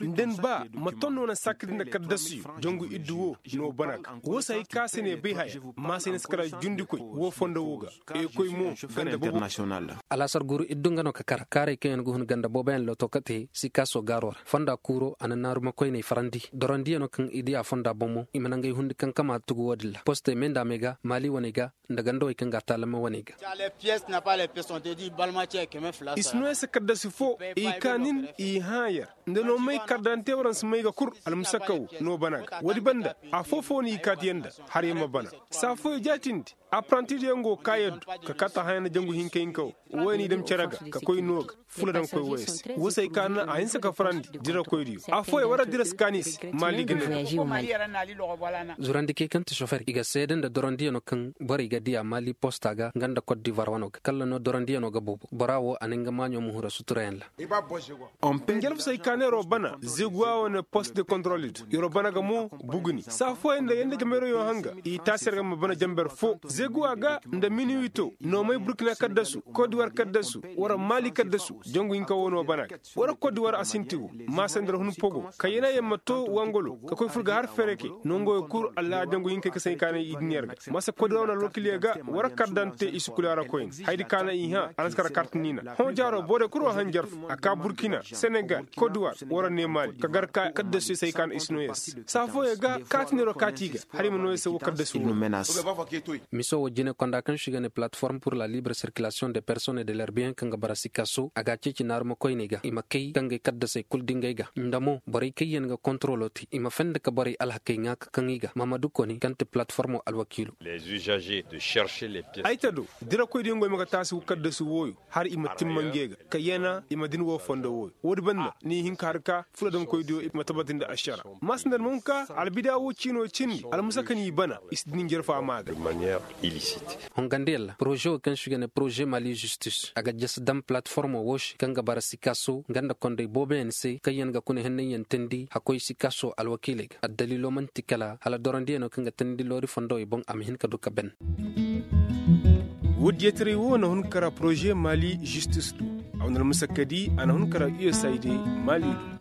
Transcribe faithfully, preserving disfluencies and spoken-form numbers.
Nda ni ba ma ton no na sakadi nda kaddasiyo jangu iddu wo no bana ga wo se hay ka se ne bay haya ma se ne si kara jundikoy wo fondo wo ga. Ekoy mo ganda bobo. Alaasar guru iddu nga no ka kara kaaray kaŋ yaŋ ga hun ganda booboyaŋ looto ka te sikaaso gaaro ra fonda kuuro a na naarumakoyney farandi dorandiyano kaŋ i diya fonda bomo i ma nangey hundi kaŋ kama tugu wo-din ra postey me nda a me ga maali waney ga nda gandawey kaŋ ga a taalamma waney ga. Isnoyese kaddasi fo i ka nin i hãa yer nda no may kardante waransa may ga kur almusakka wo no bana ga woodi banda afoo-foo no i kaati yer nda har yer ma bana saa fooyaŋ jaatindi apparantidiyaŋ go ka yer du ka kaati haya nda jangu hinka hinka wo wooyaŋ i dam cere ga ka koy no ga fula daŋ koy wooyaŋ se woo se ay ka na a hinsa ka farandi dirakoydiyo afooyaŋ war a dira si kaani se maali ga ne. Zurandikey kaŋ ti sofer i ga seede nda dorandiyano kaŋ borey ga diya maali posta ga nga nda kot divar wano ga kalla no dorandiyano ga boobo bora wo a na nga maaɲo ma hura suturayaŋ ra. Njarfu se ay ka neeroo bana zeguwa wane post de kontrol di yeroo bana ga mo buguni saa fooyaŋ nda yanda jameroyoo hanga i taasi yer ga ma bana jamber foo zeguwa ga nda miniwito noomay burkina kaddasu kodiwar kaddasu wara maali kaddasu jangu hinka wo no bana ga wara kodiwar a sinti wo maasandar hun pogo ka yena yer ma too wangolo ka koy fur ga har fereke nongoyo kul allaha jangu hinkey ka se ay ka ne i din yer ga masa kodiwar wane alwakiliyo ga wara kardante i si kula ra koyne hayadi ka na i hã a na si kar kartiniina hõ jaaro borey kul wo hanjarfu a ka burkina senegal kodiwar wara ne maali ka gar ka kaddasuyo se ay ka na i si noo yer se saa fooyaŋ ga kaati neeroo kaati i ga hala i ma noo yer se wo kaddasuyo. Miso wo jine konda kaŋ se i ga ne plateforme pour la libre circulation de personnes et de leur bien kaŋ ga bara sikaso a ga a ceeci naarumakoyney ga i ma kay ka ngey kaddasey kul dingay ga nda mo borey kaŋ yaŋ ga kontrolo te i ma fende ka borey alhakey ŋaa ka kaŋ i ga mahamadu koni kaŋ ti plateformo alwakiilo. Ay ta do dirakoydiyaŋ go i ma ga taasi kaddasi wooyo har i ma timma ngey ga ka yana i ma din woo fondo wooyo woodi banda ni i hin ka har ka fuladamkoydiyo i ma tabatindi ašara maasandar ma hun ka albida woo ciinoo cindi almusa ka n'i bana i si din jarfa maa ga. Hongandi yalla poroze woo kaŋ se i ga ne poroze mali zistis a ga jasi daŋ palatiformo woo se kaŋ ga bara sikaaso nga nda kondey booboyaŋ se kaŋ yaŋ ga kuna hennanyaŋ teendi hakkoy sikaaso alwakiiley ga addaliiloo man'ti kala hala dorandiyaŋo kaŋ ga teendi loori fondowey boŋ a ma hin ka du ka ben. Woodiyaŋ taray woo na hun kara poroze mali zistis do a wane almusa ka di a na hun kara usaid mali do.